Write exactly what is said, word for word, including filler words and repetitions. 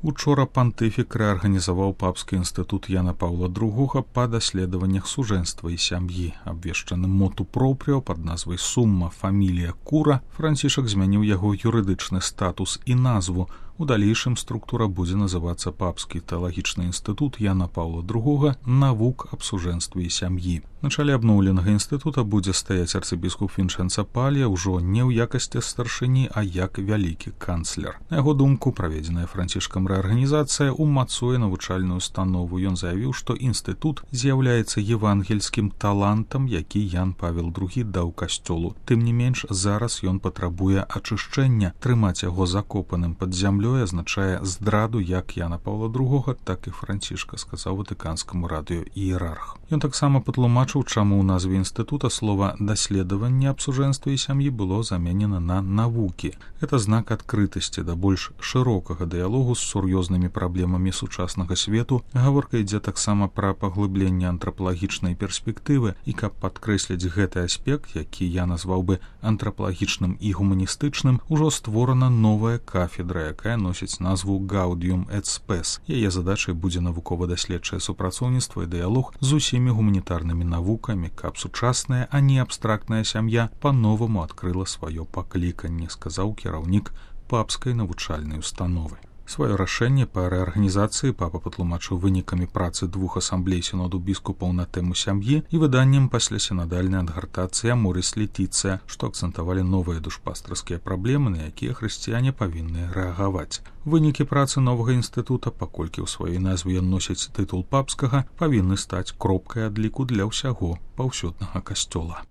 Учора пантыфік рэарганізаваў папскі інстытут Яна Паўла другога па даследаваннях сужэнства і сям'і. Абвешчаны моту пропрыо пад назвай «Сумма фамілія Кура» Францішак змяніў яго юрыдычны статус і назву. У далейшым структура будзе называцца Папскі тэалагічны інстытут Яна Паўла другога навук аб сужэнстве і сям'і. На чале абноўленага інстытута будзе стаяць арцыбіскуп Вінчэнца Палія ўжо не ў якасці старшыні, а як вялікі канцлер. На яго думку, праведзеная Францішкам рэарганізацыя умацуе навучальную установу. Ён заявіў, што інстытут з'яўляецца евангельскім талантам, які Ян Павел другі даў касцёлу. Тым не менш, зараз ён патрабуе ачышчэння. Трымаць яго закопаным пад зямлёй азначае здраду як Яна Паўла другога, так і Францішка, сказаў ватыканскаму радыё іерарх. Ён таксама патлумачыў, чаму ў назве інстытута слова «даследаванне аб сужэнстве і сям'і» было заменена на «навукі». Гэта знак адкрытасці да больш шырокага дыялогу з сур'ёзнымі праблемамі сучаснага свету. Гаворка ідзе таксама пра паглыбленне антрапалагічнай перспектывы, і каб падкрэсліць гэты аспект, які я назваў бы антрапалагічным і гуманістычным, ужо створана новая кафедра, якая носіць назву «Gaudium et Spes». Яе задачай будзе навукова-даследчае супрацоўніцтва і дыялог з усімі гуманітарнымі навукамі, каб сучасная, а не абстрактная сям'я па-новаму адкрыла сваё пакліканне, сказаў кіраўнік папскай навучальнай установы. Сваё рашэнне па рэарганізацыі папа патлумачыў вынікамі працы двух асамблей сіноду біскупаў на тэму сям'і і выданнем пасля сінадальнай адгартацыі «Аморис Летіцыя», што акцэнтавалі новыя душпастарскія праблемы, на якія хрысціяне павінны рэагаваць. Вынікі працы новага інстытута, паколькі ў сваёй назве ён носіць тытул папскага, павінны стаць кропкай адліку для ўсяго паўсюднага касцёла.